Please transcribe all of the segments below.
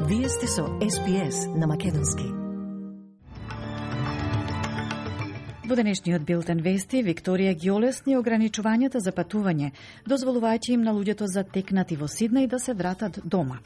Вие сте со СПС на Македонски. Во денешниот билтен вести, Викторија ги олесни ограничувањата за патување, дозволувајќи им на луѓето затекнати во Сиднеј да се вратат дома.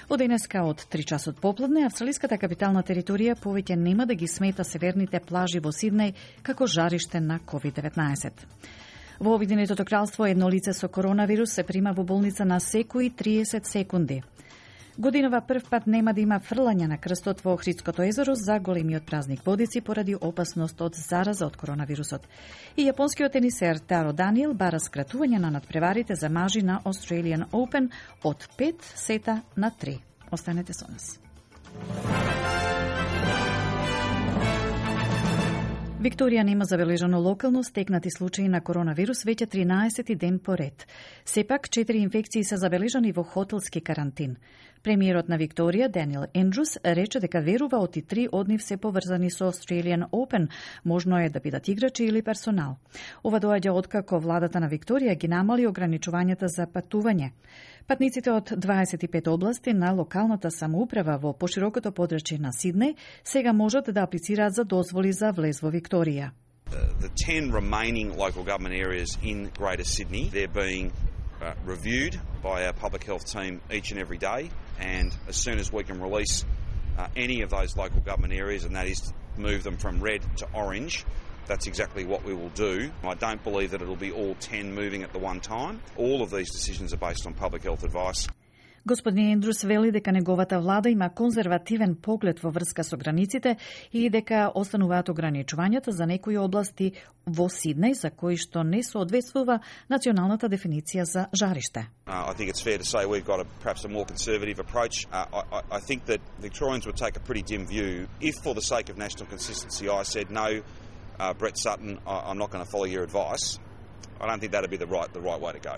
Од денеска од 3 часот попладне, австралиската капитална територија повеќе нема да ги смета северните плажи во Сиднеј како жариште на COVID-19. Во Обединетото кралство едно лице со коронавирус се прима во болница на секои 30 секунди. Годинова прв пат нема да има фрлање на крстот во Охридското езеро за големиот празник Водици поради опасност од зараза од коронавирусот. И јапонскиот тенисер Таро Даниел бара скратување на надпреварите за мажи на Australian Open од 5 сета на 3. Останете со нас. Викторија нема забележано локално стекнати случаи на коронавирус веќе 13 ден поред. Сепак 4 инфекции се забележани во хотелски карантин. Премиерот на Викторија, Даниел Ендрус, рече дека верува оти 3 од нив се поврзани со Australian Open, можно е да бидат играчи или персонал. Ова доаѓа откако владата на Викторија ги намали ограничувањата за патување. Патниците од 25 области на локалната самоуправа во поширокото подрачје на Сиднеј сега можат да аплицираат за дозволи за влез во Викторија. The 10 remaining local government areas in Greater Sydney, they're being reviewed by our public health team each and every day, and as soon as we can release any of those local government areas, and that is to move them from red to orange, that's exactly what we will do. I don't believe that it'll be all 10 moving at the one time. All of these decisions are based on public health advice. Господин Ендрус вели дека неговата влада има конзервативен поглед во врска со границите и дека остануваат ограничувањата за некои области во Сиднеј за кои што не соодветствува националната дефиниција за жариште. I think it's fair to say we've got perhaps a more conservative approach. I think that Victorians would take a pretty dim view if, for the sake of national consistency, I said no, Brett Sutton, I'm not going to follow your advice. I don't think that'd be the right way to go.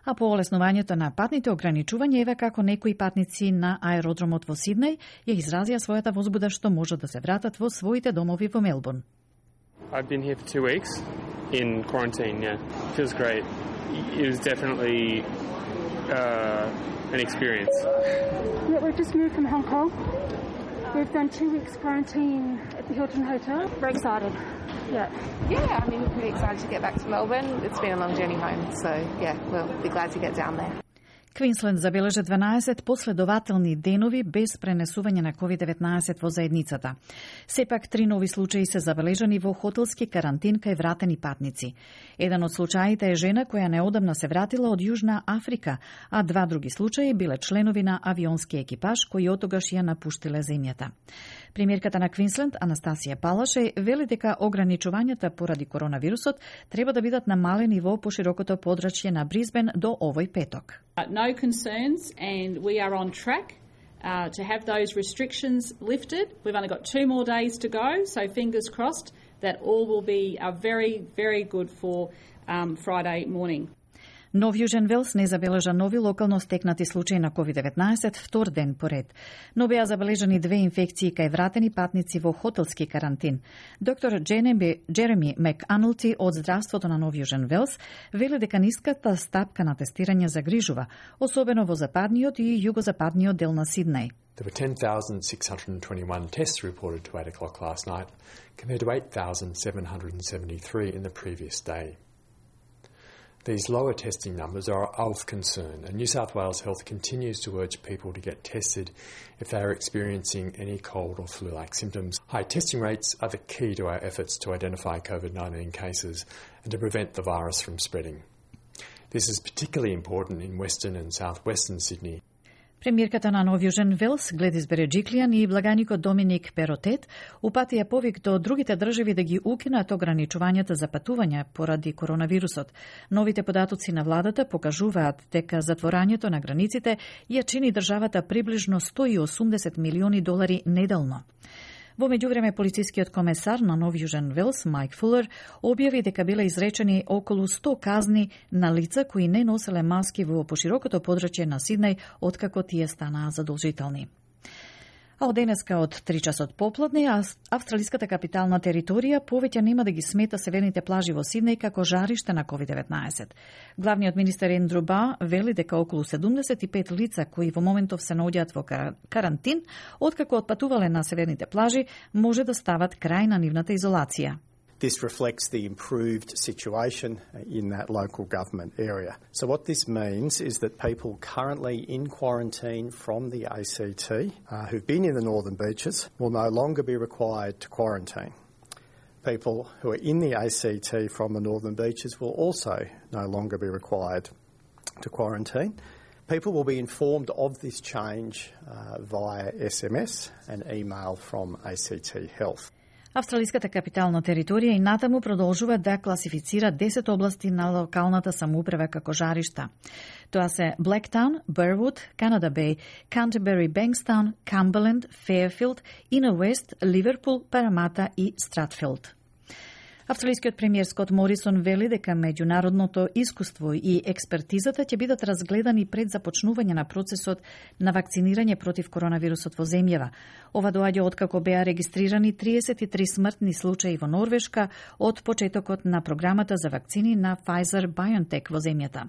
А по олеснувањето на патните ограничувања, еве како некои патници на аеродромот во Сиднеј ја изразија својата возбуда што можат да се вратат во своите домови во Мелбурн. I've been here for 2 weeks in quarantine, yeah. Feels great. It was definitely an experience. Yeah, we've just moved from Hong Kong. We've done 2 weeks quarantine at the Hilton Hotel. Very excited. Yeah, I mean, we're pretty excited to get back to Melbourne. It's been a long journey home, so yeah, we'll be glad to get down there. Квинсленд забележа 12 последователни денови без пренесување на COVID-19 во заедницата. Сепак 3 нови случаи се забележани во хотелски карантин кај вратени патници. Еден од случаите е жена која неодамна се вратила од Јужна Африка, а 2 други случаи биле членови на авионски екипаж кои отогаш ја напуштиле земјата. Премиерката на Квинсленд, Анастасија Палаше, вели дека ограничувањата поради коронавирусот треба да бидат намалени во поширокото подрачје на Брисбен до овој петок. No concerns, and we are on track to have those restrictions lifted. We've only got 2 more days to go, so fingers crossed that all will be very, very good for Friday morning. Нов Јужен Велс не забележа нови локално стекнати случаи на COVID-19 втор ден поред, но беа забележани 2 инфекции кај вратени патници во хотелски карантин. Доктор Джереми Мек-Анулти од здравството на Нов Јужен Велс вели дека ниската стапка на тестирање загрижува, особено во западниот и југозападниот дел на Сиднеј. There were 10,621 tests reported to 8 o'clock last night, compared to 8,773 in the previous day. These lower testing numbers are of concern, and New South Wales Health continues to urge people to get tested if they are experiencing any cold or flu-like symptoms. High testing rates are the key to our efforts to identify COVID-19 cases and to prevent the virus from spreading. This is particularly important in Western and Southwestern Sydney. Премиерката на Нов Јужен Велс, Гледис Береджиклијан и благаникот Доминик Перотет упатија повик до другите држави да ги укинат ограничувањата за патување поради коронавирусот. Новите податоци на владата покажуваат дека затворањето на границите ја чини државата приближно $180 милиони неделно. Во меѓувреме, полицискиот комесар на Нов Јужен Велс, Майк Фулер, објави дека биле изречени околу 100 казни на лица кои не носеле маски во поширокото подрачје на Сиднеј откако тие станаа задолжителни. А од денеска од 3 часот попладне, австралиската капитална територија повеќе нема да ги смета северните плажи во Сиднеј како жариште на COVID-19. Главниот министер Ендрю Бар вели дека околу 75 лица кои во моментов се наоѓаат во карантин, откако отпатувале на северните плажи, може да стават крај на нивната изолација. This reflects the improved situation in that local government area. So what this means is that people currently in quarantine from the ACT who've been in the Northern Beaches will no longer be required to quarantine. People who are in the ACT from the Northern Beaches will also no longer be required to quarantine. People will be informed of this change via SMS and email from ACT Health. Австралиската капитална територија и натаму продолжува да класифицира 10 области на локалната самоуправа како жаришта. Тоа се Блектаун, Бервуд, Канада Беј, Кантербери Бенкстаун, Камберленд, Феерфилд, Инер Уест, Ливерпул, Парамата и Стратфилд. Австралискиот премиер Скот Морисон вели дека меѓународното искуство и експертизата ќе бидат разгледани пред започнување на процесот на вакцинирање против коронавирусот во земјава. Ова доаѓа откако беа регистрирани 33 смртни случаи во Норвешка од почетокот на програмата за вакцини на Pfizer-BioNTech во земјата.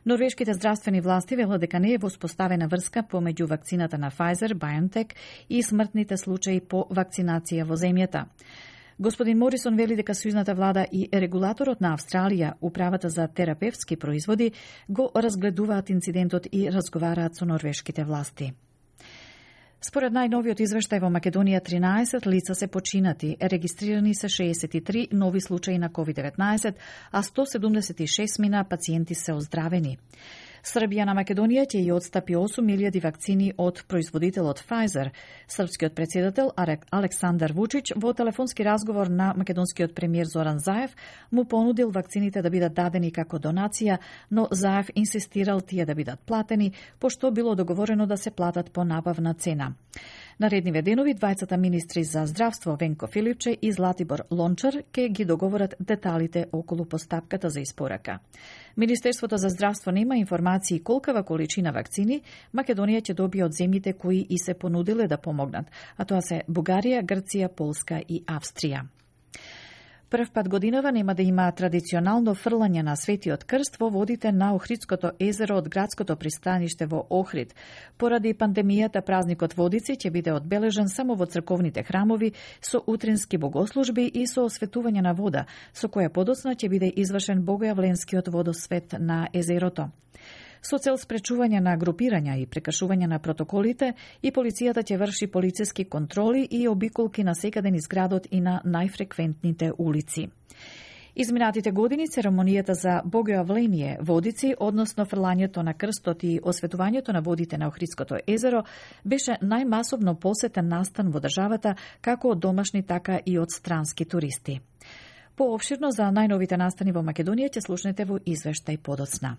Норвешките здравствени власти велат дека не е воспоставена врска помеѓу вакцината на Pfizer-BioNTech и смртните случаи по вакцинација во земјата. Господин Морисон вели дека сојузната влада и регулаторот на Австралија, управата за терапевтски производи, го разгледуваат инцидентот и разговараат со норвешките власти. Според најновиот извештај во Македонија 13 лица се починати, регистрирани се 63 нови случаи на COVID-19, а 176 мина пациенти се оздравени. Србија на Македонија ќе ја отстапи 8.000 вакцини од производителот Pfizer. Српскиот председател Александар Вучич во телефонски разговор на македонскиот премиер Зоран Заев му понудил вакцините да бидат дадени како донација, но Заев инсистирал тие да бидат платени, пошто било договорено да се платат по набавна цена. Наредниве денови двајцата министри за здравство Венко Филипче и Златибор Лончар ќе ги договорат деталите околу постапката за испорака. Министерството за здравство нема информации колкава количина вакцини Македонија ќе добие од земјите кои и се понудиле да помогнат, а тоа се Бугарија, Грција, Полска и Австрија. Прв пат годинава нема да има традиционално фрлање на Светиот крст во водите на Охридското езеро од градското пристаниште во Охрид. Поради пандемијата, празникот Водици ќе биде одбележан само во црковните храмови со утрински богослужби и со осветување на вода, со која подоцна ќе биде извршен богојавленскиот водосвет на езерото. Со цел спречување на групирања и прекршување на протоколите, и полицијата ќе врши полициски контроли и обиколки на секаде низ градот и на најфреквентните улици. Изминатите години церемонијата за богојавление Водици, односно фрлањето на крстот и осветувањето на водите на Охридското езеро, беше најмасовно посетен настан во државата, како од домашни, така и од странски туристи. Поопширно за најновите настани во Македонија ќе слушнете во извештај подоцна.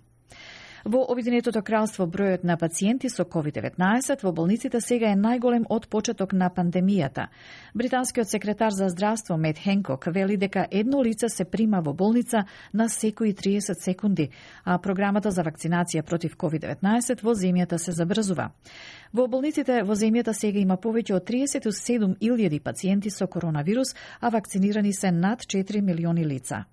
Во Обединетото кралство бројот на пациенти со COVID-19 во болниците сега е најголем од почеток на пандемијата. Британскиот секретар за здравство Мет Хенкок вели дека едно лице се прима во болница на секои 30 секунди, а програмата за вакцинација против COVID-19 во земјата се забрзува. Во болниците во земјата сега има повеќе од 37.000 пациенти со коронавирус, а вакцинирани се над 4 милиони лица.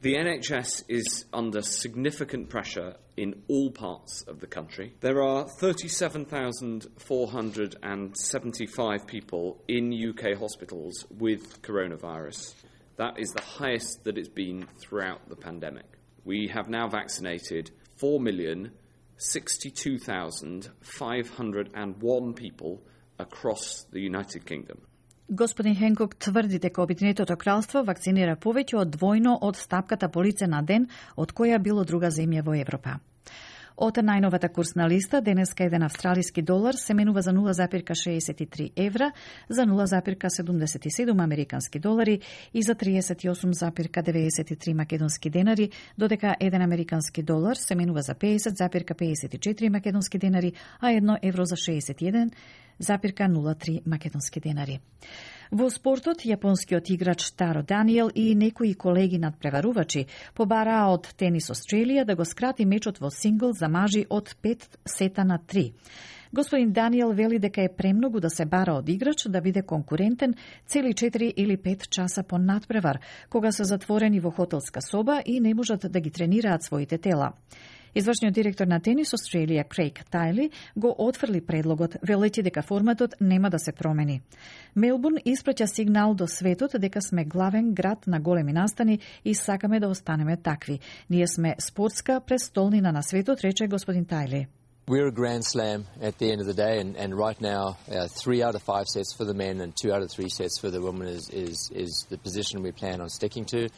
The NHS is under significant pressure in all parts of the country. There are 37,475 people in UK hospitals with coronavirus. That is the highest that it's been throughout the pandemic. We have now vaccinated 4,062,501 people across the United Kingdom. Господин Хенкок тврди дека Обединетото кралство вакцинира повеќе од двојно од стапката по лице на ден од која било друга земја во Европа. Од најновата курсна листа, денеска еден австралиски долар се менува за 0,63 евра, за 0,77 американски долари и за 38,93 македонски денари, додека еден американски долар се менува за 50,54 македонски денари, а едно евро за 61,03 македонски денари. Во спортот, јапонскиот играч Таро Даниел и некои колеги надпреварувачи побараа од Тенис Австралија да го скрати мечот во сингл за мажи од 5 сета на 3. Господин Даниел вели дека е премногу да се бара од играч да биде конкурентен цели 4 или 5 часа по надпревар, кога се затворени во хотелска соба и не можат да ги тренираат своите тела. Извршниот директор на Тенис Австралија Крейг Тайли го отфрли предлогот, велејќи дека форматот нема да се промени. Мелбурн испраќа сигнал до светот дека сме главен град на големи настани и сакаме да останеме такви. Ние сме спортска престолнина на светот, рече господин Тайли. We're a Grand Slam at the end of the day, and right now, 3 out of 5 sets for the men and 2 out of 3 sets for the women is the position we plan on sticking to.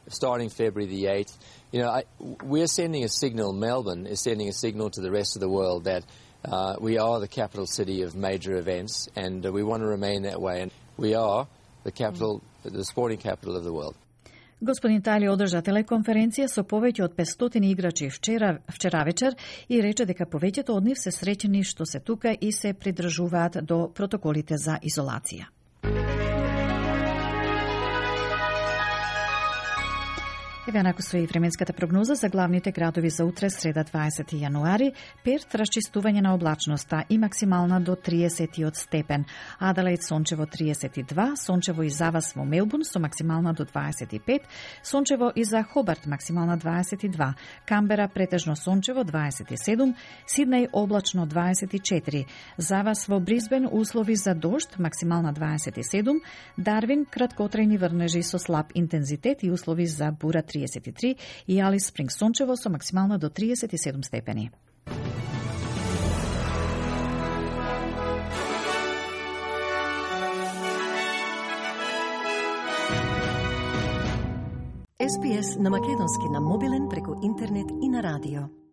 Starting February the 8th, we're sending a signal. Melbourne is sending a signal to the rest of the world that we are the capital city of major events, and we want to remain that way. And we are the sporting capital of the world. Господин Тайли одржа телеконференција со повеќе од 500 играчи вчера вечер и рече дека повеќето од нив се среќени што се тука и се придржуваат до протоколите за изолација. Еве нако стои временската прогноза за главните градови за утре, среда 20 јануари. Перт расчистување на облачноста и максимална до 30 степен. Аделаид сончево 32, сончево и за вас во Мелбурн со максимална до 25, сончево и за Хобарт максимална 22, Камбера претежно сончево 27, Сиднеј облачно 24, за вас во Брисбен услови за дожд максимална 27, Дарвин краткотрајни врнежи со слаб интензитет и услови за бура 33 и Алис Спринг сончево со максимална до 37 степени. SPS на македонски на мобилен преку интернет и на радио.